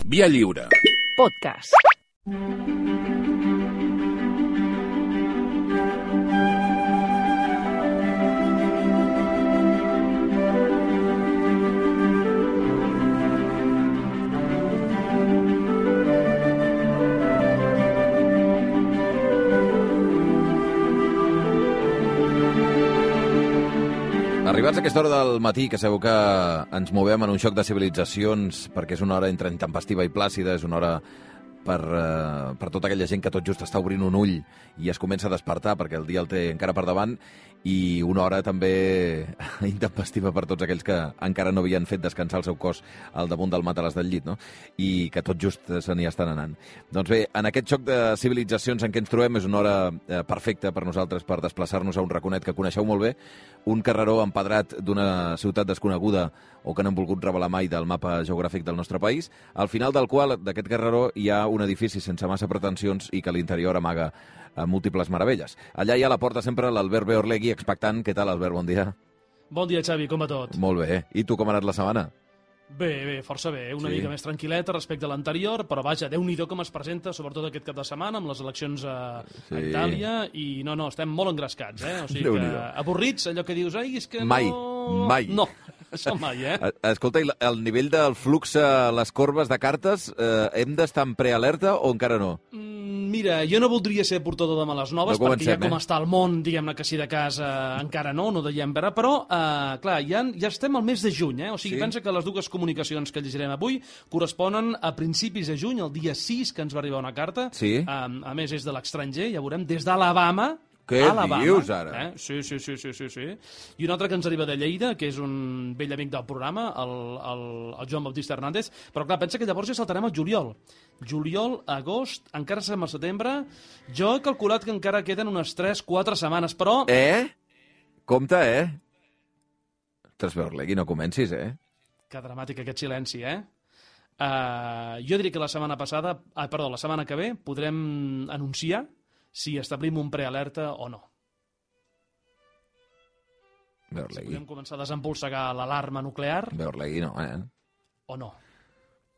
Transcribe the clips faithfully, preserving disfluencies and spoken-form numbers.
Via Lliure. Podcast. Arribats a aquesta hora del matí, que segur que ens movem en un xoc de civilitzacions, perquè és una hora entre intempestiva i plàcida, és una hora per, uh, per tota aquella gent que tot just està obrint un ull i es comença a despertar perquè el dia el té encara per davant, i una hora també intempestiva per tots aquells que encara no havien fet descansar el seu cos al damunt del matalàs del llit, no? I que tot just se n'hi estan anant. Doncs bé, en aquest xoc de civilitzacions en què ens trobem és una hora eh, perfecta per nosaltres per desplaçar-nos a un raconet que coneixeu molt bé, un carreró empedrat d'una ciutat desconeguda o que no han volgut revelar mai del mapa geogràfic del nostre país, al final del qual, d'aquest carreró, hi ha un edifici sense massa pretensions i que a l'interior amaga a múltiples meravelles. Allà hi ha a la porta sempre l'Albert Beorlegui, expectant. Què tal, Albert? Bon dia. Bon dia, Xavi. Com va tot? Molt bé. I tu, com ha anat la setmana? Bé, bé, força bé. Una Sí. mica més tranquil·leta respecte a l'anterior, però vaja, Déu-n'hi-do com es presenta, sobretot aquest cap de setmana, amb les eleccions a, Sí. a Itàlia, i no, no, estem molt engrescats, eh? O sigui que Déu-n'hi-do. avorrits, allò que dius, ai, és que Mai, no... mai. No, això mai, eh? Eh, Escolta, i la- el nivell del flux a les corbes de cartes, eh, hem d'estar en prealerta o encara no? Mm, Mira, jo no voldria ser portador de males noves, No perquè comencem, ja com eh? està el món, diguem-ne que si de casa encara no, no deiem veure, però, eh, clar, ja, ja estem al mes de juny, eh? O sigui, Sí. pensa que les dues comunicacions que llegirem avui corresponen a principis de juny, el dia sis, que ens va arribar una carta. Sí. Eh, a més, és de l'estranger, ja veurem, des d'Alabama. Què Alabama, dius, ara? Eh? Sí, sí, sí, sí, sí, sí. I un altre que ens arriba de Lleida, que és un vell amic del programa, el, el, el Joan Baptista Hernández, però clar, pensa que llavors ja saltarem al juliol. Juliol, agost, encara estem al setembre. Jo he calculat que encara queden unes tres quatre setmanes, però... Eh? Compte, eh? Ostres, Beorlegui, no comencis, eh? Que dramàtic aquest silenci, eh? Uh, jo diria que la setmana passada, ah, perdó, la setmana que ve podrem anunciar si establim un prealerta o no. Si Beorlegui. podem començar a desempolsegar l'alarma nuclear Beorlegui no, eh? o no.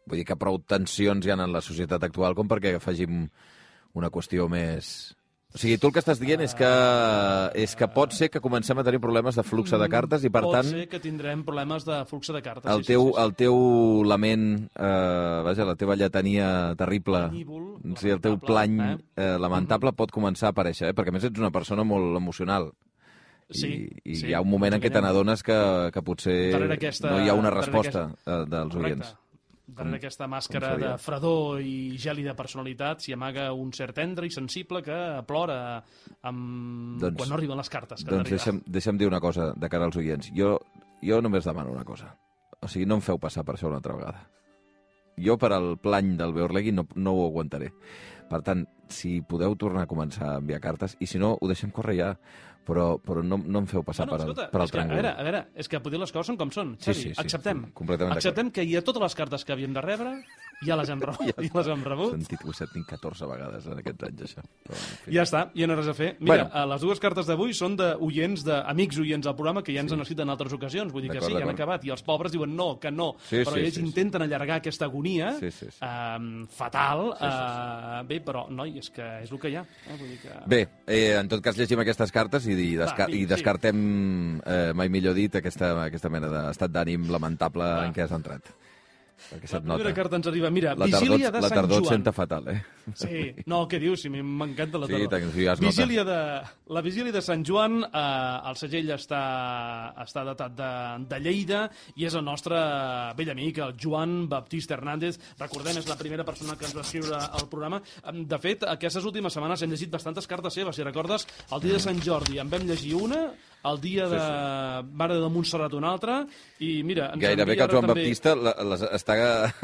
Vull dir que prou tensions hi ha en la societat actual com perquè afegim una qüestió més... O sigui, tu el que estàs dient és que, és que pot ser que comencem a tenir problemes de flux de cartes i, per Pot tant, ser que tindrem problemes de flux de cartes. el sí, teu, sí, sí, sí. el teu lament, eh, vaja, la teva lletania terrible, Penívol, sí, el teu lamentable, plany eh? eh, lamentable pot començar a aparèixer, eh? Perquè a més ets una persona molt emocional. Sí, I, i sí, hi ha un moment en què te n'adones que, que potser Darrere aquesta- no hi ha una darrere resposta aquesta- eh, dels Correcte. oients. Darrere aquesta màscara seria? de fredor i gèlida personalitat s'hi amaga un cert tendre i sensible que plora amb... Doncs- quan no arriben les cartes. Que han Doncs d'arribar. deixa'm, deixa'm dir una cosa de cara als oients. Jo, jo només demano una cosa. O sigui, no em feu passar per això una altra vegada. Jo, per al plany del Beorlegui, no, no ho aguantaré. Per tant, si podeu tornar a començar a enviar cartes, i si no, ho deixem córrer ja, però, però no, no em feu passar Bueno, per, al, escolta, per al és que, a tràngol. veure, a veure, és que potser les coses són com són. Sí, Xavi, sí, sí, acceptem. sí, completament d'acord. acceptem que hi ha totes les cartes que havíem de rebre, ja les hem rebut. ja les hem He rebut. sentit ho he sentit catorze vegades en aquests anys, això. Però, en fi. Ja està, ja no res a fer. Mira, Bueno. bueno. les dues cartes d'avui són d'oients, d'amics oients del programa que ja ens han escrit en altres ocasions. Vull dir que D'acord, sí, han d'acord. acabat. I els pobres diuen no, que no. Sí, però sí, ells sí, sí. intenten allargar aquesta agonia Sí, sí, sí. eh, fatal. Sí, sí, sí. Eh, bé, però, noi, és que és el que hi ha. Eh? Vull dir que... Bé, eh, en tot cas llegim aquestes cartes i, i, desca Va, sí, i descartem, eh, mai millor dit, aquesta, aquesta mena d'estat d'ànim lamentable Va. en què has entrat. Perquè La se't primera nota. carta ens arriba. Mira, La tardor, vigília de la Sant tardor et Joan. senta fatal, eh? Sí, no, què dius? Si m'encanta la Sí, tardor. tant, sí, ja es nota. vigília de, la vigília de Sant Joan, eh, el segell està, està datat de, de Lleida i és el nostre vell amic, el Joan Baptista Hernández. Recordem, és la primera persona que ens va escriure al programa. De fet, aquestes últimes setmanes hem llegit bastantes cartes seves. Si recordes, el dia de Sant Jordi en vam llegir una, el dia de Mare de Montserrat una altra, i mira... Ens Gairebé envia que el ara Joan també... Baptista la- les està,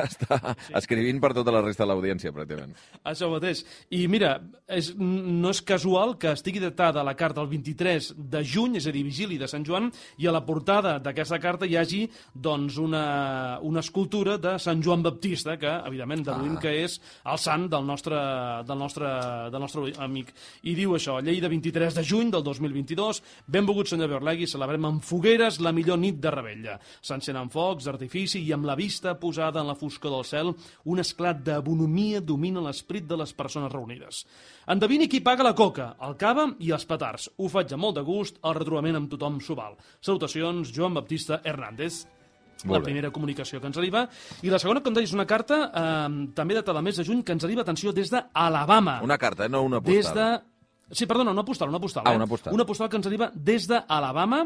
està escrivint per tota la resta de l'audiència, pràcticament. Això mateix. I mira, és, no és casual que estigui datada la carta el vint-i-tres de juny, és a dir, vigili de Sant Joan, i a la portada d'aquesta carta hi hagi doncs, una, una escultura de Sant Joan Baptista, que, evidentment, deduïm Ah. que és el sant del nostre, del, nostre, del nostre amic. I diu això, Lleida, vint-i-tres de juny del dos mil vint-i-dos, benvolgut benvingut, senyor Beorlegui, celebrem amb fogueres la millor nit de Rebella. S'encenen focs d'artifici i amb la vista posada en la foscor del cel, un esclat de bonomia domina l'esperit de les persones reunides. Endevini qui paga la coca, el cava i els petards. Ho faig amb molt de gust, el retrobament amb tothom s'ho val. Salutacions, Joan Baptista Hernández. La primera comunicació que ens arriba. I la segona, com deies, una carta eh, també datada del mes de juny que ens arriba, atenció, des d'Alabama. Una carta, eh? No una postal. Des de... Sí, perdona, una postal, una postal. Ah, eh? una postal. Una postal que ens arriba des d'Alabama,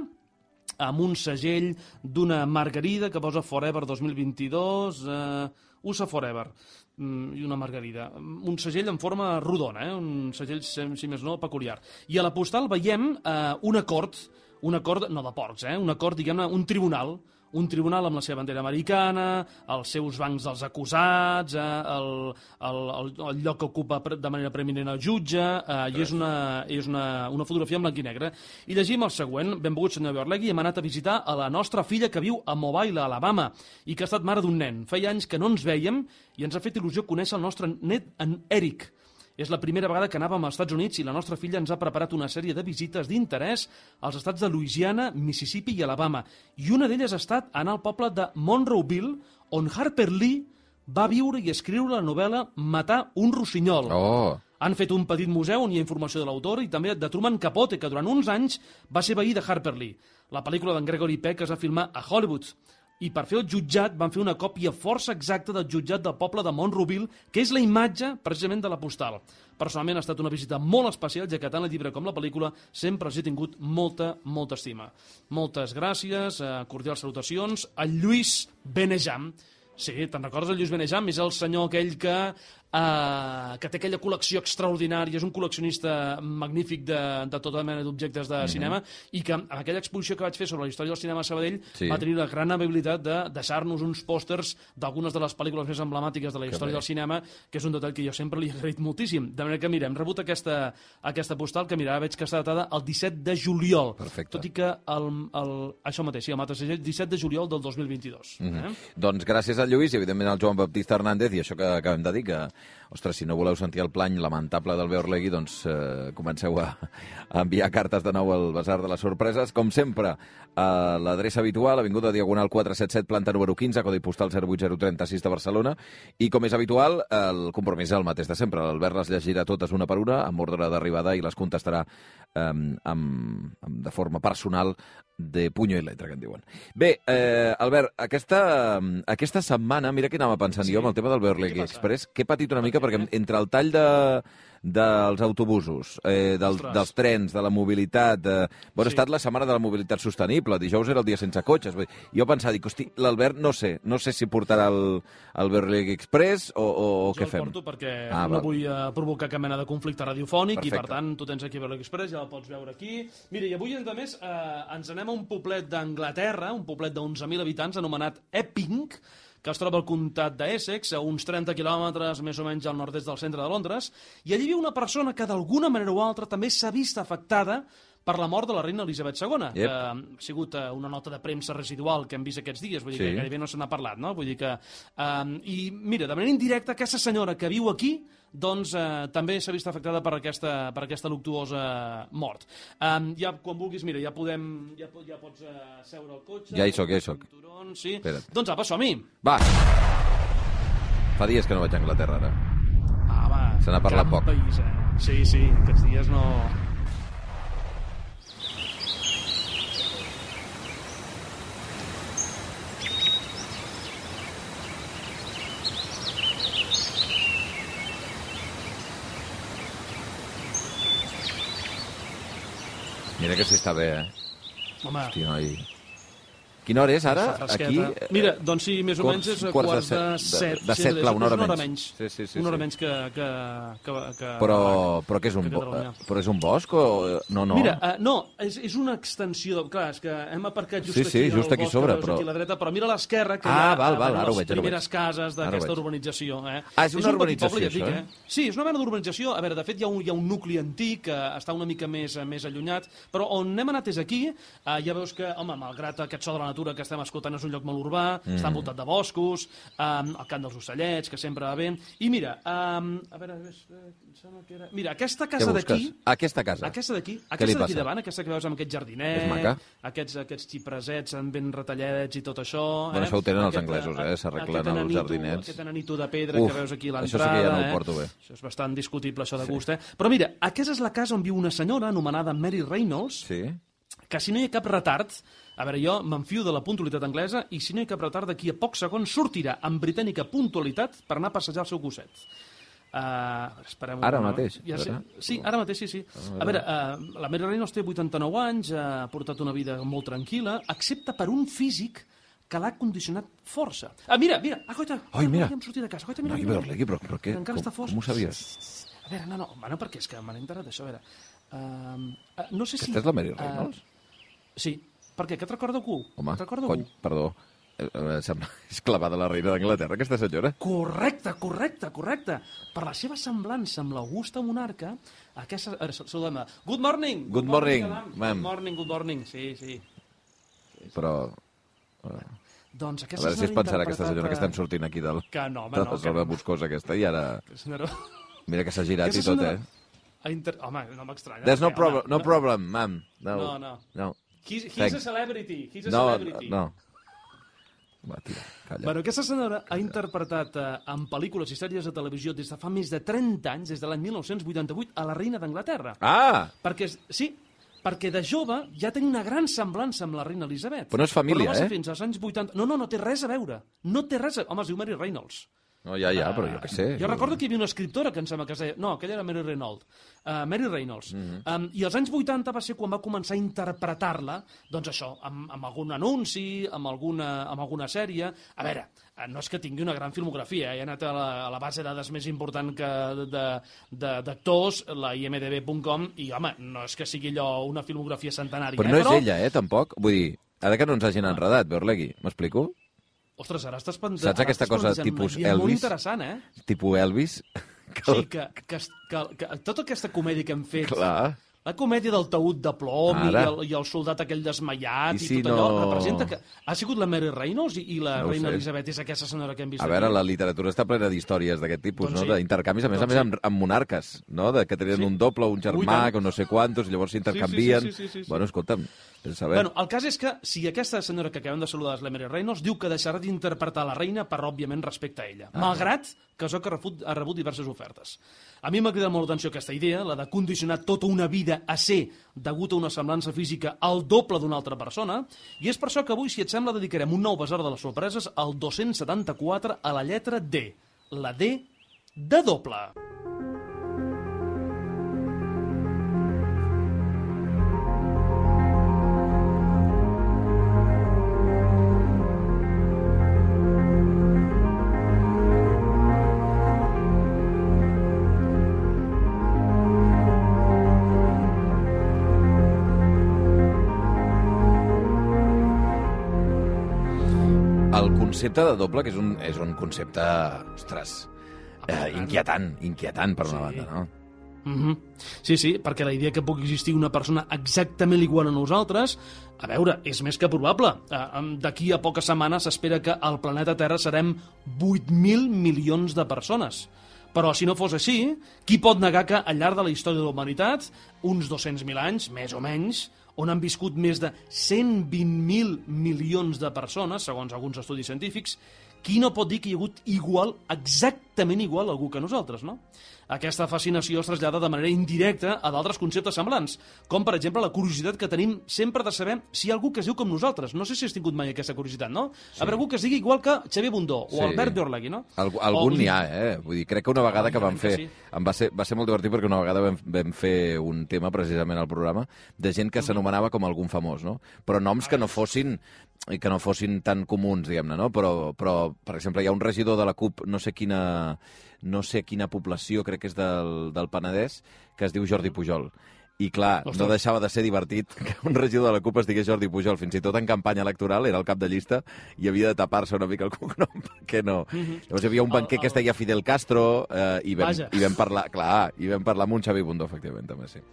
amb un segell d'una margarida que posa Forever dos mil vint-i-dos, eh, U S A Forever, mm, i una margarida. Un segell en forma rodona, eh? Un segell, si més no, peculiar. I a la postal veiem eh, un acord, un acord, no de porcs, eh? Un acord, diguem-ne, un tribunal, un tribunal amb la seva bandera americana, els seus bancs dels acusats, eh, el, el, el, el lloc que ocupa de manera preeminent el jutge, eh, i és, una, és una, una fotografia en blanc i negre. I llegim el següent. Benvolgut, senyor Beorlegui, hem anat a visitar a la nostra filla que viu a Mobile, a Alabama, i que ha estat mare d'un nen. Feia anys que no ens vèiem i ens ha fet il·lusió conèixer el nostre net, en Eric. És la primera vegada que anàvem als Estats Units i la nostra filla ens ha preparat una sèrie de visites d'interès als estats de Louisiana, Mississippi i Alabama. I una d'elles ha estat anar al poble de Monroeville, on Harper Lee va viure i escriure la novel·la Matar un rossinyol. Oh! Han fet un petit museu on hi ha informació de l'autor i també de Truman Capote, que durant uns anys va ser veí de Harper Lee. La pel·lícula d'en Gregory Peck es va filmar a Hollywood. I per fer el jutjat van fer una còpia força exacta del jutjat del poble de Monroeville, que és la imatge, precisament, de la postal. Personalment ha estat una visita molt especial, ja que tant el llibre com la pel·lícula sempre els he tingut molta, molta estima. Moltes gràcies, eh, cordials salutacions. El Lluís Benejam. Sí, te'n recordes el Lluís Benejam? És el senyor aquell que, eh, que té aquella col·lecció extraordinària, és un col·leccionista magnífic de, de tota mena d'objectes de mm-hmm. cinema, i que en aquella exposició que vaig fer sobre la història del cinema a Sabadell sí. va tenir la gran amabilitat de deixar-nos uns pòsters d'algunes de les pel·lícules més emblemàtiques de la història del cinema, que és un detall que jo sempre li he agraït moltíssim. De manera que, mira, hem rebut aquesta, aquesta postal que, mira, veig que està datada el disset de juliol. Perfecte. Tot i que el, el, això mateix, sí, el mateix disset de juliol del dos mil vint-i-dos. Mm-hmm. eh? Doncs gràcies al Lluís i, evidentment, al Joan Baptista Hernández, i això que acabem de dir, que, ostres, si no voleu sentir el plany lamentable del Beorlegui, doncs eh, comenceu a, a enviar cartes de nou al Basar de les Sorpreses. Com sempre, a l'adreça habitual, Avinguda Diagonal quatre cents setanta set, planta número quinze, codi postal zero vuit zero tres sis de Barcelona, i com és habitual, el compromís és el mateix de sempre. L'Albert les llegirà totes una per una, amb ordre d'arribada, i les contestarà eh, amb, amb, de forma personal, de puño i letra, que en diuen. Bé, eh, Albert, aquesta, aquesta setmana, mira què anava pensant sí. jo amb el tema del Beorlegui Express, que he patit una mica perquè entre el tall de, dels autobusos, eh, del, dels trens, de la mobilitat... De... Bueno, sí. ha estat la setmana de la mobilitat sostenible, dijous era el dia sense cotxes. Jo pensava, dic, hosti, l'Albert no sé, no sé si portarà el, el Beorlegui Express o, o, o què fem. Jo el porto perquè ah, no val. vull uh, provocar cap mena de conflicte radiofònic. Perfecte. I, per tant, tu tens aquí Beorlegui Express, ja el pots veure aquí. Mira, i avui, a més, eh, ens anem a un poblet d'Anglaterra, un poblet d'onze mil habitants, anomenat Epping, que es troba al comtat d'Essex, a uns trenta quilòmetres més o menys al nord-est del centre de Londres, i allí viu una persona que d'alguna manera o altra també s'ha vist afectada per la mort de la reina Elisabet segona, yep. que ha sigut una nota de premsa residual que hem vist aquests dies, vull dir sí. que gairebé no se n'ha parlat, no? Vull dir que... Um, I mira, de manera indirecta, aquesta senyora que viu aquí doncs eh, també s'ha vist afectada per aquesta, per aquesta luctuosa mort. Um, ja, quan vulguis, mira, ja podem... Ja, ja pots uh, seure al cotxe... Ja hi soc, ja hi soc. Sí. Doncs apa, som-hi. Va. Fa dies que no vaig a Anglaterra, ara. Ah, va. Se n'ha parlat poc. País, eh? Sí, sí, aquests dies no... Mira que sí està bé, eh? Home... Hosti, noi... Quina hora és, ara? Aquí... Mira, doncs sí, més o menys és a quarts de set. De set, clar, una hora menys. menys. Sí, sí, sí, una hora menys que... que, que, que però, però què és un bo... Però és un bosc o...? No, no. Mira, uh, no, és, és una extensió... De... Clar, és que hem aparcat just sí, sí, aquí just aquí bosc, sobre, però... aquí a la dreta, però mira a l'esquerra que ah, hi ha val, val, les veig, primeres cases d'aquesta urbanització. Eh? Ah, és una és un urbanització, poble, dic, això, eh? Sí, és una mena d'urbanització. A veure, de fet, hi ha un, hi ha un nucli antic que està una mica més, més allunyat, però on hem anat és aquí. Uh, ja veus que, home, malgrat aquest so de la literatura que estem escoltant és un lloc molt urbà, mm. està envoltat de boscos, um, el cant dels ocellets, que sempre va bé. I mira, um, a veure, em sembla que era... Mira, aquesta casa d'aquí... Aquesta casa? Aquesta d'aquí, aquesta d'aquí davant, aquesta que veus amb aquest jardinet, aquests, aquests xipresets ben retallets i tot això... Bueno, eh? Això ho tenen aquest, els anglesos, eh? S'arreglen els jardinets. Aquest ananito de pedra Uf, que veus aquí a l'entrada... Això sí que ja no ho eh? porto bé. Això és bastant discutible, això de gust, eh? Però mira, aquesta és la casa on viu una senyora anomenada Mary Reynolds, sí. que si no hi ha cap retard, a veure, jo m'enfio de la puntualitat anglesa, i si no hi ha cap retard, d'aquí a pocs segons sortirà amb britànica puntualitat per anar a passejar el seu gosset. Uh, esperem ara un mateix? Ja sé. Sí, ara mateix, sí, sí. A veure, uh, la Mary Reynolds té vuitanta-nou anys, uh, ha portat una vida molt tranquil·la, excepte per un físic que l'ha condicionat força. Ah, mira, mira, ah, coita, Ai, mira. hem sortit de casa. Coita, mira, no, mira, mira, mira, però, però què? Encara Com, està fort. com ho sabies? A veure, no, no, bueno, perquè és que me n'he enterat d'això, a veure. Uh, uh, no sé si... Aquesta és la Mary Reynolds? Uh, sí. Per què? Que et recorda algú? Home, recorda cony, algú? Perdó. Eh, sembla, és clavada la reina d'Anglaterra, aquesta senyora. Correcte, correcte, correcte. Per la seva semblança amb l'augusta monarca, aquesta... A veure, saludem-la. Good morning! Good, good morning, ma'am. Good morning, good morning, sí, sí. sí Però... Uh, doncs aquesta a veure si es pensarà aquesta senyora que estem sortint aquí del, que no, home, de la no, zona no. boscosa aquesta, i ara... Senyora... Mira que s'ha girat i tot, eh? Inter... Home, no m'estranya. There's no, problem, no problem, ma'am. No, no. no. no. He's, he's a celebrity. He's a no, celebrity. No, Va, tira, calla. Bueno, aquesta senyora ha interpretat eh, en pel·lícules i sèries de televisió des de fa més de trenta anys, des de l'any mil nou-cents vuitanta-vuit, a la reina d'Anglaterra. Ah! Perquè, sí, perquè de jove ja tenia una gran semblança amb la reina Elisabet. Però no és família, però no va ser eh? fins als anys vuitanta... No, no, no té res a veure. No té res a... Home, es diu Mary Reynolds. No, ja, ja, però jo què sé. Jo recordo que hi havia una escriptora que em sembla que es deia... No, aquella era Mary Reynolds. Uh, Mary Reynolds. Mm -hmm. um, I als anys vuitanta va ser quan va començar a interpretar-la, doncs això, amb, amb algun anunci, amb alguna, amb alguna sèrie... A veure, no és que tingui una gran filmografia, eh? He anat a la, a la base de dades més important que d'actors, la i eme de be punt com, i, home, no és que sigui allò una filmografia centenària. Però no eh? és però... ella, eh, tampoc? Vull dir, ara que no ens hagin enredat, Beorlegui, m'explico? Ostres, ara estàs pendent... Saps aquesta cosa tipus Elvis? Molt interessant, eh? Tipus Elvis? Que... Sí, que, que, que, que tota aquesta comèdia que hem fet... Clar. La comèdia del taüt de plom i el, i el soldat aquell desmaiat i, i si tot allò no... representa que... Ha sigut la Mary Reynolds i, i la no reina Elisabet és aquesta senyora que hem vist A veure, aquí. La literatura està plena d'històries d'aquest tipus, doncs no? Sí. D'intercanvis, a més doncs a més, amb, amb monarques, no? De que tenien sí. un doble, un germà, que no sé quantos, i llavors s'intercanvien. Sí, sí, sí, sí, sí, sí. Bueno, escolta'm, saber. Bueno, el cas és que si aquesta senyora que acabem de saludar és la Mary Reynolds, diu que deixarà d'interpretar la reina per, òbviament, respecte a ella. Ah, malgrat que això que ha rebut diverses ofertes. A mi m'ha cridat molt l'atenció aquesta idea, la de condicionar tota una vida a ser degut a una semblança física al doble d'una altra persona, i és per això que avui, si et sembla, dedicarem un nou besar de les sorpreses al dos-cents setanta-quatre a la lletra D, la D de doble. El concepte de doble, que és un, és un concepte, ostres, eh, inquietant, inquietant per una sí. banda, no? Mm-hmm. Sí, sí, perquè la idea que pugui existir una persona exactament igual a nosaltres, a veure, és més que probable. D'aquí a poques setmanes s'espera que al planeta Terra serem vuit mil milions de persones. Però si no fos així, qui pot negar que al llarg de la història de la humanitat, uns dos-cents mil anys, més o menys, on han viscut més de cent vint mil milions de persones, segons alguns estudis científics, qui no pot dir que hi ha hagut igual, exactament igual, algú que nosaltres, no? Aquesta fascinació es trasllada de manera indirecta a d'altres conceptes semblants, com, per exemple, la curiositat que tenim sempre de saber si hi ha algú que es diu com nosaltres. No sé si has tingut mai aquesta curiositat, no? Sí. A veure, algú que es digui igual que Xavier Bundó o sí. Albert Beorlegui, no? Alg algun n'hi ha, eh? Vull dir, crec que una vegada oh, que vam fer... Sí. Em va, ser, va ser molt divertit perquè una vegada vam, vam fer un tema, precisament, al programa, de gent que s'anomenava com algun famós, no? Però noms que no fossin que no fossin tan comuns, diguem-ne, no? Però, però, per exemple, hi ha un regidor de la CUP, no sé quina... no sé quina població, crec que és del, del Penedès, que es diu Jordi Pujol. I clar, Ostres. no deixava de ser divertit que un regidor de la CUP es digués Jordi Pujol. Fins i tot en campanya electoral, era el cap de llista, i havia de tapar-se una mica el cognom, perquè no. Mm-hmm. Llavors hi havia un banquer el, el... que es deia Fidel Castro, eh, i, vam, i vam parlar, clar, i vam parlar amb un Xavi Bundó, efectivament, també, sí.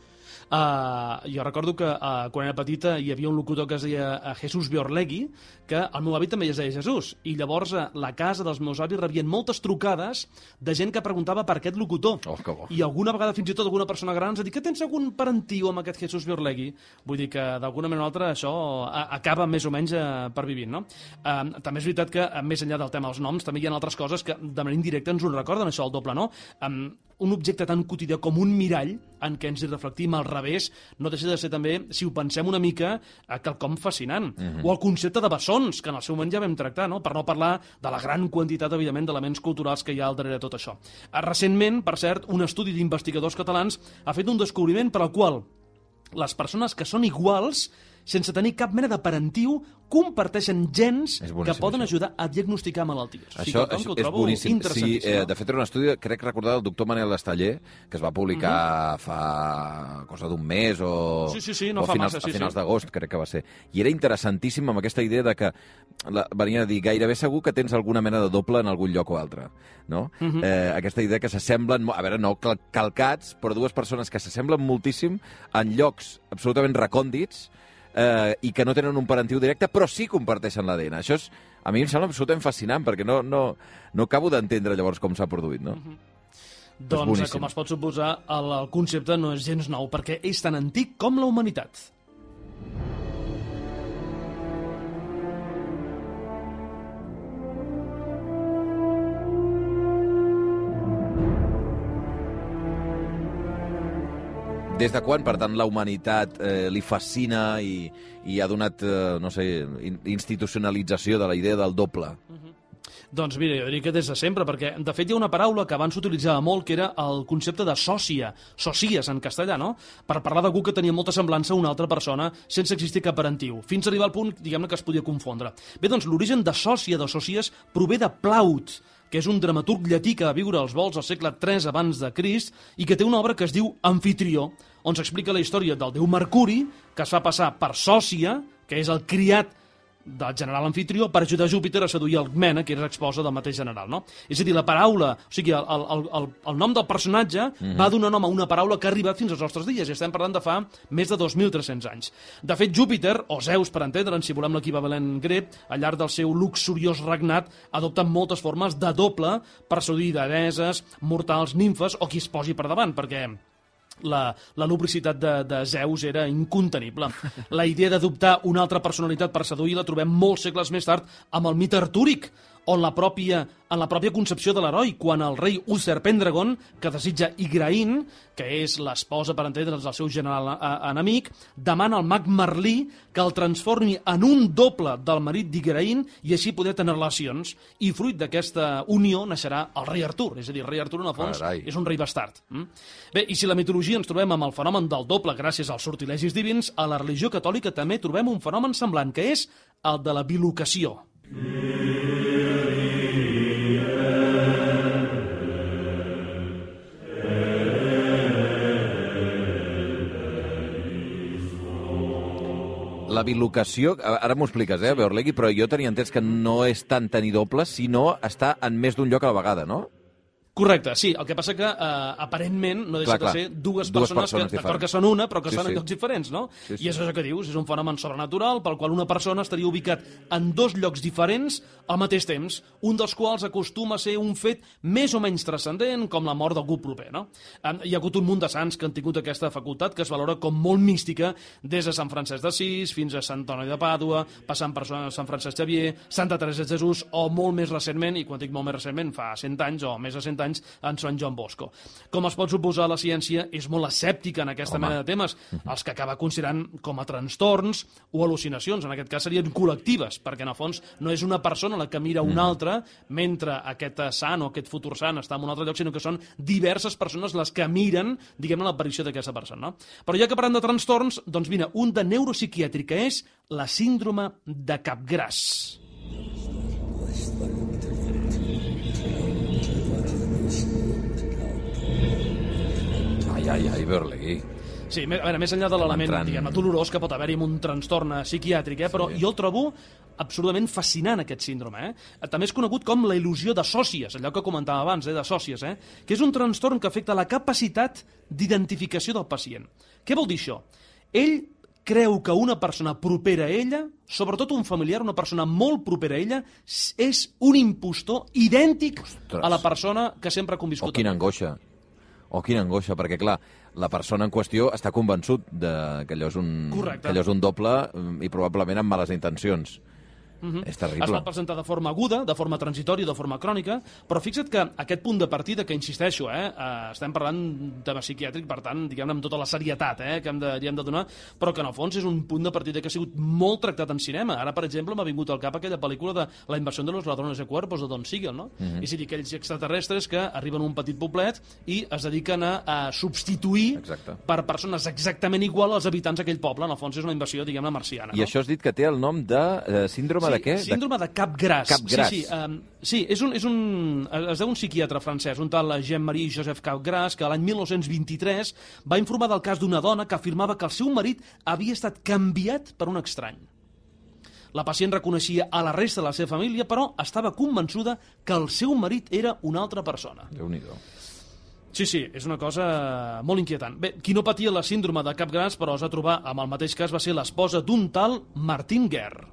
Uh, jo recordo que uh, quan era petita hi havia un locutor que es deia uh, Jesús Biorlegui, que el meu avi també es deia Jesús, i llavors a la casa dels meus avis rebien moltes trucades de gent que preguntava per aquest locutor. Oh, que bo. I alguna vegada fins i tot alguna persona gran ens ha dit que tens algun parentiu amb aquest Jesús Biorlegui. Vull dir que d'alguna manera o altra això a, acaba més o menys uh, per vivint, no? Uh, també és veritat que uh, més enllà del tema dels noms també hi ha altres coses que de manera indirecta ens ho recorden, això, el doble, no? Um, un objecte tan quotidià com un mirall en què ens hi reflectim al revés no deixa de ser també, si ho pensem una mica, quelcom fascinant. Mm-hmm. O el concepte de bessons, que en el seu moment ja vam tractar, no? Per no parlar de la gran quantitat, evidentment, d'elements culturals que hi ha al darrere de tot això. Recentment, per cert, un estudi d'investigadors catalans ha fet un descobriment per al qual les persones que són iguals, sense tenir cap mena de parentiu, comparteixen gens que poden això. ajudar a diagnosticar malalties. Això, o sigui, això que és boníssim. Sí, eh, no? de fet, era un estudi, crec recordar, del doctor Manel Estaller, que es va publicar uh-huh. fa cosa d'un mes o, sí, sí, sí, no o fa finals, massa, sí, a finals sí. d'agost, crec que va ser. I era interessantíssim amb aquesta idea de que la, venia a dir gairebé segur que tens alguna mena de doble en algun lloc o altre. No? Uh-huh. eh, aquesta idea que s'assemblen, a veure, no cal, calcats, però dues persones que s'assemblen moltíssim en llocs absolutament recòndits, eh, i que no tenen un parentiu directe, però sí comparteixen l'A D N. Això és, a mi em sembla absolutament fascinant, perquè no, no, no acabo d'entendre llavors com s'ha produït, no? Uh-huh. Doncs, com es pot suposar, el, el concepte no és gens nou, perquè és tan antic com la humanitat. Des de quan, per tant, la humanitat eh, li fascina i, i ha donat, eh, no sé, institucionalització de la idea del doble? Uh-huh. Doncs mira, jo diria que des de sempre, perquè de fet hi ha una paraula que abans s'utilitzava molt, que era el concepte de sòcia, sòcies en castellà, no? Per parlar d'algú que tenia molta semblança a una altra persona sense existir cap parentiu, fins a arribar al punt, diguem-ne, que es podia confondre. Bé, doncs l'origen de sòcia, de sòcies, prové de Plaut, que és un dramaturg llatí que va viure als volts al segle tres abans de Crist i que té una obra que es diu Amfitrió, on s'explica la història del déu Mercuri, que es fa passar per sòcia, que és el criat del general Amfitrió, per ajudar Júpiter a seduir Alcmena, que era esposa del mateix general, no? És a dir, la paraula, o sigui, el, el, el, el nom del personatge mm-hmm. va donar nom a una paraula que ha arribat fins als nostres dies, i estem parlant de fa més de dos mil tres-cents anys. De fet, Júpiter, o Zeus, per entendre'n, si volem l'equivalent grec, al llarg del seu luxuriós regnat, adopta moltes formes de doble per seduir deesses, mortals, nimfes, o qui es posi per davant, perquè La, la lubricitat de, de Zeus era incontenible. La idea d'adoptar una altra personalitat per seduir la trobem molts segles més tard amb el mite artúric, on la pròpia, en la pròpia concepció de l'heroi, quan el rei Uther Pendragon, que desitja Igraine, que és l'esposa, per entendre'ns, del seu general enemic, demana al mag Merlí que el transformi en un doble del marit d'Igraine i així poder tenir relacions. I fruit d'aquesta unió naixerà el rei Artur. És a dir, el rei Artur, en el fons, Carai. és un rei bastard. Mm? Bé, i si la mitologia ens trobem amb el fenomen del doble gràcies als sortilegis divins, a la religió catòlica també trobem un fenomen semblant, que és el de la bilocació. La bilocació, ara m'ho expliques, eh, Biorlegui, però jo tenia entès que no és tant tenir dobles, sinó estar en més d'un lloc a la vegada, no? Correcte, sí. El que passa que, eh, aparentment, no deixa clar, clar. de ser dues, dues persones, persones que, d'acord diferents. que són una, però que Sí, estan sí. en llocs diferents, no? Sí, sí. I és això que dius, és un fenomen sobrenatural pel qual una persona estaria ubicat en dos llocs diferents al mateix temps, un dels quals acostuma a ser un fet més o menys transcendent, com la mort d'algú proper, no? Eh, Hi ha hagut un munt de sants que han tingut aquesta facultat, que es valora com molt mística, des de Sant Francesc d'Assís fins a Sant Antoni de Pàdua, passant per Sant Francesc Xavier, Santa Teresa de Jesús, o molt més recentment, i quan dic molt més recentment, fa cent anys o més de cent anys, en Sant Joan Bosco. Com es pot suposar, la ciència és molt escèptica en aquesta Home. mena de temes, els que acaba considerant com a trastorns o al·lucinacions. En aquest cas serien col·lectives, perquè en el fons no és una persona la que mira una altra mentre aquest sant o aquest futur sant està en un altre lloc, sinó que són diverses persones les que miren, diguem-ne, l'aparició d'aquesta persona. No? Però ja que parlem de trastorns, doncs mira, un de neuropsiquiàtric, que és la síndrome de Capgras. Ai, ai, ai, Biorlegui. Sí, a veure, més enllà de l'element, entrant... diguem-ne, dolorós que pot haver-hi amb un trastorn psiquiàtric, eh? Però sí. jo el trobo absolutament fascinant, aquest síndrome. Eh? També és conegut com la il·lusió de sòcies, allò que comentava abans, eh? de sòcies, eh? que és un trastorn que afecta la capacitat d'identificació del pacient. Què vol dir això? Ell creu que una persona propera a ella, sobretot un familiar, una persona molt propera a ella, és un impostor idèntic Ostres. a la persona que sempre ha conviscut. O quina angoixa. O quina angoixa, perquè, clar, la persona en qüestió està convençut de que allò és un, que allò és un doble i probablement amb males intencions. Uh-huh. És terrible. Es pot presentar de forma aguda, de forma transitòria, de forma crònica, però fixa't que aquest punt de partida, que insisteixo, eh, eh, estem parlant de tema psiquiàtric, per tant, diguem-ne, amb tota la serietat eh, que hem de, hem de donar, però que en el fons és un punt de partida que ha sigut molt tractat en cinema. Ara, per exemple, m'ha vingut al cap aquella pel·lícula de La invasió de los ladrones de cuerpos, de Don Siegel, no? Uh-huh. És a dir, aquells extraterrestres que arriben a un petit poblet i es dediquen a, a substituir Exacte. per persones exactament igual als habitants d'aquell poble. En el fons és una invasió, diguem-ne, marciana. I no? això has dit que té el nom de eh, síndrome sí, de què? Síndrome de cap gras. Cap gras. Sí, sí, um, sí és un, és un, es deu un psiquiatre francès, un tal Jean-Marie Joseph Capgras, que l'any mil nou-cents vint-i-tres va informar del cas d'una dona que afirmava que el seu marit havia estat canviat per un estrany. La pacient reconeixia a la resta de la seva família, però estava convençuda que el seu marit era una altra persona. Déu-n'hi-do. Sí, sí, és una cosa molt inquietant. Bé, qui no patia la síndrome de cap gras, però es va trobar amb el mateix cas, va ser l'esposa d'un tal Martin Guerre.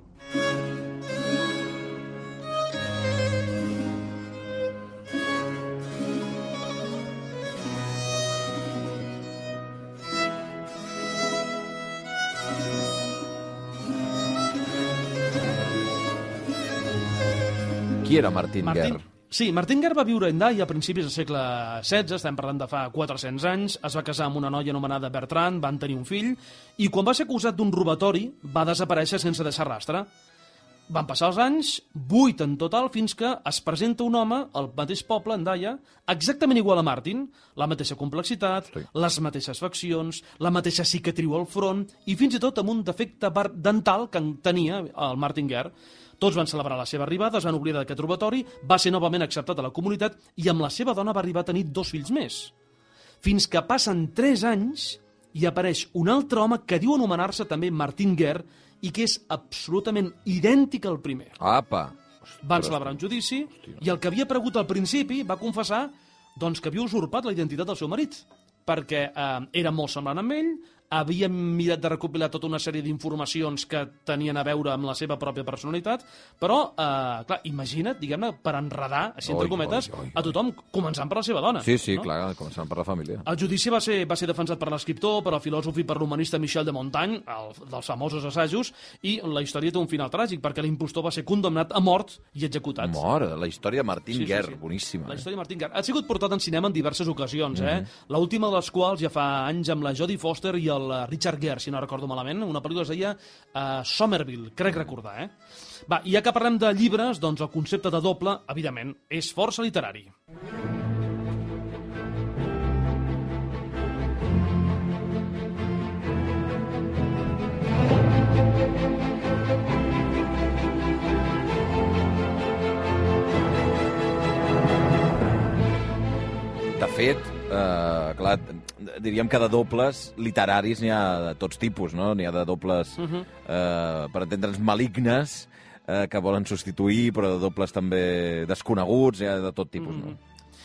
Qui era Martin, Martin Guerre? Sí, Martin Guerre va viure a Hendaye a principis del segle setze, estem parlant de fa quatre-cents anys, es va casar amb una noia anomenada Bertrand, van tenir un fill, i quan va ser acusat d'un robatori va desaparèixer sense deixar rastre. Van passar els anys, vuit en total, fins que es presenta un home al mateix poble, Hendaye, exactament igual a Martin, la mateixa complexitat, sí. les mateixes faccions, la mateixa cicatriu al front, i fins i tot amb un defecte dental que tenia el Martin Guerre. Tots van celebrar la seva arribada, es van oblidar d'aquest robatori, va ser novament acceptat a la comunitat i amb la seva dona va arribar a tenir dos fills més. Fins que passen tres anys i apareix un altre home que diu anomenar-se també Martin Guerre i que és absolutament idèntic al primer. Apa! Van celebrar un judici i el que havia pregut al principi va confessar doncs, que havia usurpat la identitat del seu marit, perquè eh, era molt semblant amb ell, havia mirat de recopilar tota una sèrie d'informacions que tenien a veure amb la seva pròpia personalitat, però, eh, clar, imagina't, diguem-ne, per enredar, així entre cometes, oi, oi, oi. a tothom, començant per la seva dona. Sí, sí, no? clar, començant per la família. El judici va ser, va ser defensat per l'escriptor, per al filòsof i per l'humanista Michel de Montaigne, el, dels famosos assajos, i la història té un final tràgic, perquè l'impostor va ser condemnat a mort i executat. Mort, la història de Martin sí, Guerre, sí, sí. boníssima. La eh? història de Martin Guerre. Ha sigut portat en cinema en diverses ocasions, eh? Mm-hmm. L'última de les quals ja fa anys amb la Jodie Foster i el Richard Gere, si no recordo malament, una pel·lícula es deia uh, Somerville, crec recordar, eh? Va, i ja que parlem de llibres, doncs el concepte de doble, evidentment, és força literari. De fet, eh, clar, diríem que de dobles literaris n'hi ha de tots tipus, no? N'hi ha de dobles, uh -huh. eh, per entendre'ns, malignes, eh, que volen substituir, però de dobles també desconeguts, n'hi ha de tot tipus, uh -huh. no?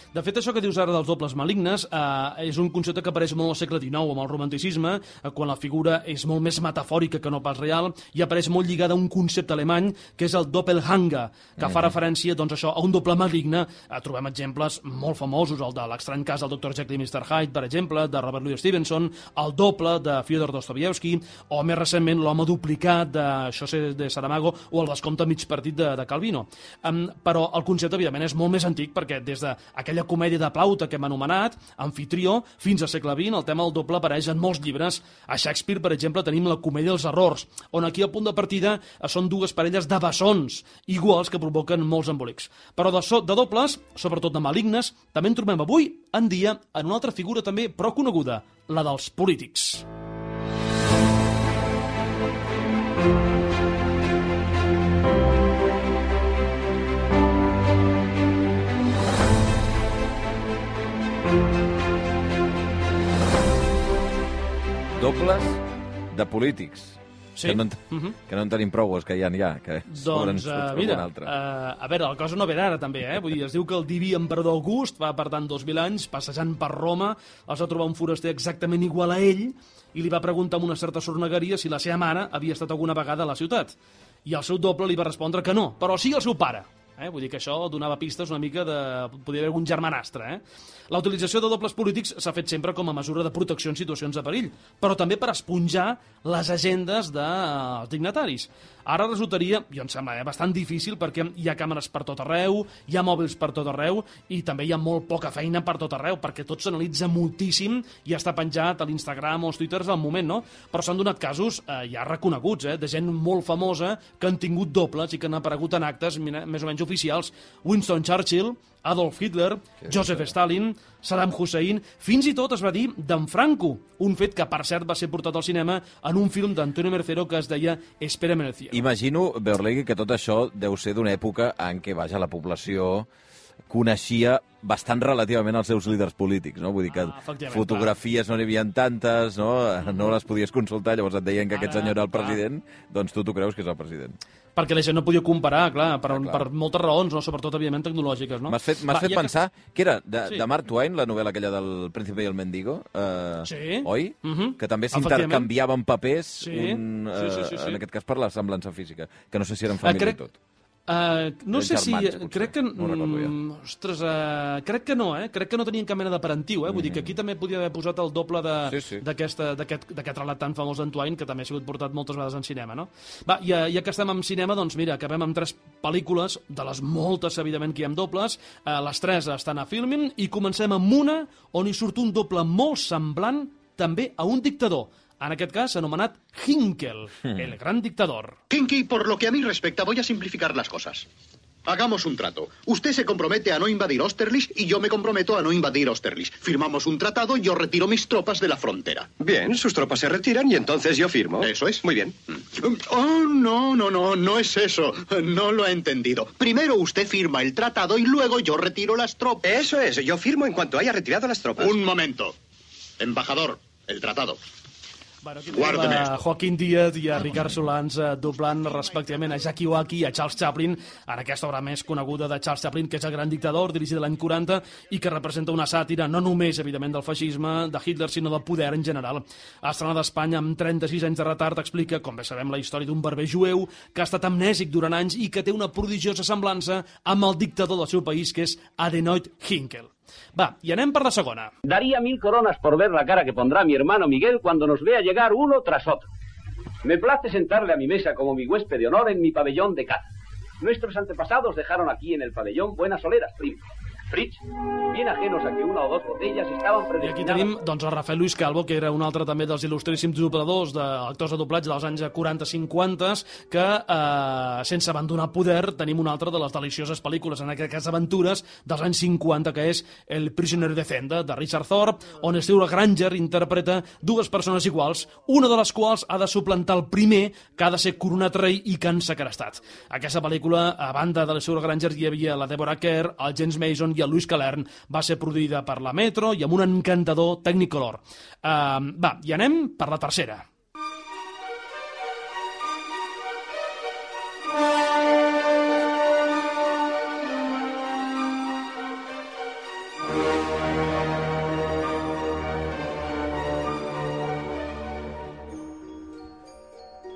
De fet, això que dius ara dels dobles malignes eh, és un concepte que apareix molt al segle dinou amb el romanticisme, eh, quan la figura és molt més metafòrica que no pas real, i apareix molt lligada a un concepte alemany que és el Doppelhanger, que mm. fa referència doncs, això, a un doble maligne. Eh, trobem exemples molt famosos, el de l'estrany cas del doctor Jekyll i mister Hyde, per exemple, de Robert Louis Stevenson, el doble de Fyodor Dostoyevsky, o més recentment l'home duplicat de José de Saramago o el vescomte mig partit de, de Calvino. Um, però el concepte, evidentment, és molt més antic, perquè des d'aquella comèdia de Plauta que hem anomenat, Amfitrió, fins al segle vint, el tema del doble apareix en molts llibres. A Shakespeare, per exemple, tenim la comèdia dels errors, on aquí el punt de partida són dues parelles de bessons iguals que provoquen molts embolics. Però de, so, de dobles, sobretot de malignes, també en trobem avui en dia en una altra figura també prou coneguda, la dels polítics. Dobles de polítics. Sí. Que no, en, uh -huh. que no en tenim prou, els que hi ha ja. Que doncs, uh, mira, uh, a veure, la cosa no ve d'ara, també, eh? Vull dir, es diu que el diví emperador August va, per tant, dos mil anys, passejant per Roma, els va trobar un foraster exactament igual a ell i li va preguntar amb una certa sornegueria si la seva mare havia estat alguna vegada a la ciutat. I el seu doble li va respondre que no, però sí el seu pare. Eh? Vull dir que això donava pistes una mica de... Podria haver algun germanastre, eh? La utilització de dobles polítics s'ha fet sempre com a mesura de protecció en situacions de perill, però també per esponjar les agendes dels dignataris. Ara resultaria, jo em sembla, eh, bastant difícil perquè hi ha càmeres per tot arreu, hi ha mòbils per tot arreu i també hi ha molt poca feina per tot arreu perquè tot s'analitza moltíssim i està penjat a l'Instagram o als Twitters al moment, no? Però s'han donat casos eh, ja reconeguts, eh, de gent molt famosa que han tingut dobles i que han aparegut en actes més o menys oficials. Winston Churchill, Adolf Hitler, Joseph Stalin, Saddam Hussein, fins i tot es va dir d'en Franco, un fet que per cert va ser portat al cinema en un film d'Antonio Mercero que es deia Espérame en el cielo. Imagino, Beorlegui, que tot això deu ser d'una època en què, vaja, la població coneixia bastant relativament els seus líders polítics, no? Vull dir que ah, fotografies clar. No n'hi havia tantes, no? No les podies consultar, llavors et deien que Ara, aquest senyor era el president, clar. Doncs tu t'ho creus que és el president. Perquè la gent no podia comparar, clar, per, clar, clar. per moltes raons, no? Sobretot, evidentment, tecnològiques, no? M'has fet, m'has fet pensar que... que era de, sí. de Mark Twain, la novel·la aquella del Príncipe i el Mendigo, eh, sí. oi? Uh -huh. Que també s'intercanviaven papers, sí. un, eh, sí, sí, sí, sí. en aquest cas per la semblança física, que no sé si eren família uh, crec... i tot. Uh, no sé germans, si... potser. Crec que... No recordo ja. Mm, ostres, uh, crec que no, eh? Crec que no tenien cap mena de parentiu, eh? Vull mm. dir que aquí també podia haver posat el doble sí, sí. d'aquest relat tan famós d'en Twain, que també ha sigut portat moltes vegades en cinema, no? Va, ja, ja que estem en cinema, doncs mira, acabem amb tres pel·lícules, de les moltes, evidentment, que hi ha dobles. Uh, les tres estan a Filmin, i comencem amb una on hi surt un doble molt semblant també a un dictador. En aquest cas, anomenat Hinkel, hmm. el gran dictador. Kinky, por lo que a mí respecta, voy a simplificar las cosas. Hagamos un trato. Usted se compromete a no invadir Austerlitz y yo me comprometo a no invadir Austerlitz. Firmamos un tratado y yo retiro mis tropas de la frontera. Bien, sus tropas se retiran y entonces yo firmo. Eso es. Muy bien. Oh, no, no, no, no es eso. No lo ha entendido. Primero usted firma el tratado y luego yo retiro las tropas. Eso es, yo firmo en cuanto haya retirado las tropas. Un momento. Embajador, el tratado. Bueno, aquí tenim a Joaquín Díaz i a Ricard Solans eh, doblant respectivament a Jackie Waki i a Charles Chaplin en aquesta obra més coneguda de Charles Chaplin, que és El gran dictador, dirigida l'any quaranta i que representa una sàtira no només, evidentment, del feixisme, de Hitler, sinó del poder en general. Estrenada a Espanya amb trenta-sis anys de retard, explica, com bé sabem, la història d'un barber jueu que ha estat amnèsic durant anys i que té una prodigiosa semblança amb el dictador del seu país, que és Adenoid Hinkel. Va, y anem per la segona. Daría mil coronas por ver la cara que pondrá mi hermano Miguel cuando nos vea llegar uno tras otro. Me place sentarle a mi mesa como mi huésped de honor en mi pabellón de caza. Nuestros antepasados dejaron aquí en el pabellón buenas soleras, primo. Fritz, bien ajenos a que una o dos botellas estaban predestinadas... I aquí tenim doncs, el Rafael Luis Calvo, que era un altre també dels il·lustríssims dobladors d'actors de doblatge dels anys quaranta cinquanta, que, eh, sense abandonar poder, tenim una altra de les delicioses pel·lícules, en aquest cas aventures, dels anys cinquanta, que és El prisioner de Zenda, de Richard Thorpe, on Stewart Granger interpreta dues persones iguals, una de les quals ha de suplantar el primer, que ha de ser coronat rei i que han segrestat. Aquesta pel·lícula, a banda de Stewart Granger, hi havia la Deborah Kerr, el James Mason i el Luis Calern, va ser produïda per la Metro i amb un encantador Technicolor. Uh, va, i anem per la tercera.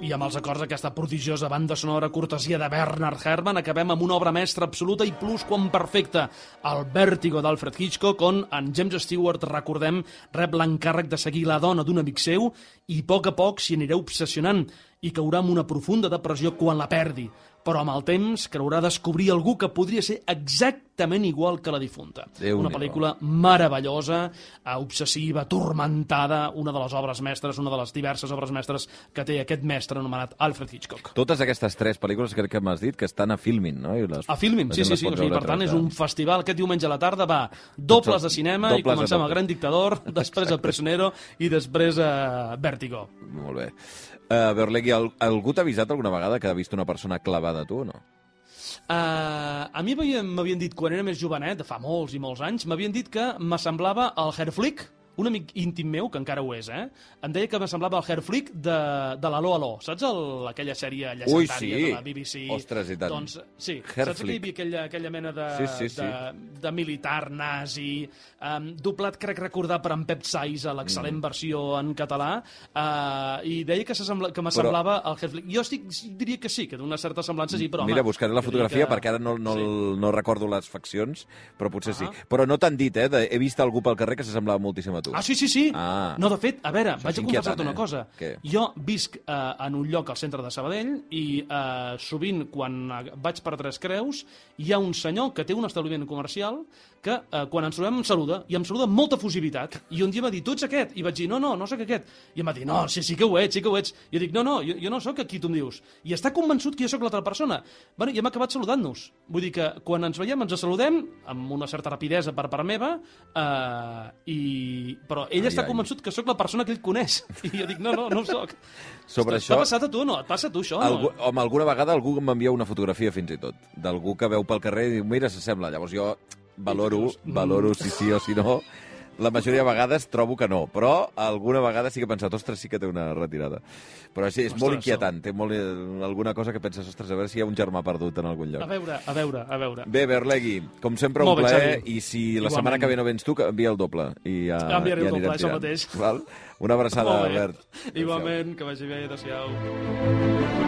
I amb els acords d'aquesta prodigiosa banda sonora cortesia de Bernard Herrmann acabem amb una obra mestra absoluta i plus quan perfecta, el Vèrtigo d'Alfred Hitchcock, on en James Stewart, recordem, rep l'encàrrec de seguir la dona d'un amic seu i a poc a poc s'hi anirà obsessionant i caurà en una profunda depressió quan la perdi, però amb el temps creurà descobrir algú que podria ser exactament igual que la difunta. Una pel·lícula meravellosa, obsessiva, tormentada, una de les obres mestres, una de les diverses obres mestres que té aquest mestre anomenat Alfred Hitchcock. Totes aquestes tres pel·lícules crec que m'has dit que estan a Filmin, no? I les, a Filmin, sí, sí, sí. O sigui, per tant, és un festival. Aquest diumenge a la tarda va dobles de cinema i comencem El gran dictador, després El prisionero i després uh, Vèrtigo. Molt bé. Uh, Beorlegui, algú t'ha avisat alguna vegada que ha vist una persona clavada a tu o no? Uh, a mi m'havien dit, quan era més jovenet, fa molts i molts anys, m'havien dit que m'assemblava el Herr Flick, un amic íntim meu, que encara ho és, eh, em deia que me semblava el Herflick de, de l'Aló Aló. Saps el, aquella sèrie llegendària sí. de la B B C? Ostres, i tant. Doncs, sí, Herflick. saps que hi havia aquella, aquella mena de, Sí, sí, sí. de, de militar nazi, um, doblat, crec recordar, per en Pep Sais, a l'excel·lent mm. versió en català, uh, i deia que, que m'assemblava al Herflick. Jo estic, diria que sí, que d'una certa semblança sí, però home... Mira, buscaré la fotografia que... perquè ara no, no, sí. no recordo les faccions, però potser ah. sí. Però no t'han dit, eh? De, he vist algú pel carrer que s'assemblava moltíssim a tu. Ah, sí, sí, sí. Ah. No, de fet, a veure, Això vaig a confessar-te una eh? cosa. Què? Jo visc eh, en un lloc al centre de Sabadell i eh, sovint, quan vaig per Tres Creus, hi ha un senyor que té un establiment comercial que eh, quan ens trobem em saluda, i em saluda amb molta fusivitat. I un dia em va dir, tu ets aquest? I vaig dir, no, no, no sóc aquest. I em va dir, no, sí, sí que ho ets, sí que ho ets. I jo dic, no, no, jo, jo no sóc aquí, tu em dius. I està convençut que jo sóc l'altra persona. Bueno, i hem acabat saludant-nos. Vull dir que quan ens veiem ens saludem amb una certa rapidesa per part meva, eh, i... però ell ai, està ai. convençut que sóc la persona que ell coneix. I jo dic, no, no, no ho soc. Sobre T'ha això... passat a tu, no? Et passa a tu, això? Algú, no? home, alguna vegada algú m'envia una fotografia fins i tot, d'algú que veu pel carrer i diu, mira, s'assembla. Llavors jo valoro, valoro si sí o si no. La majoria de vegades trobo que no, però alguna vegada sí que he pensat, ostres, sí que té una retirada. Però sí, és ostres, molt inquietant, té molt, alguna cosa que penses, ostres, a veure si hi ha un germà perdut en algun lloc. A veure, a veure, a veure. Bé, Berlegui, com sempre un plaer, i si la Igualment. setmana que ve no vens tu, envia el doble. I ja, Enviaré ja el doble, això tirant. mateix. Val? Una abraçada, Albert. Igualment, que vagi bé, adéu-siau.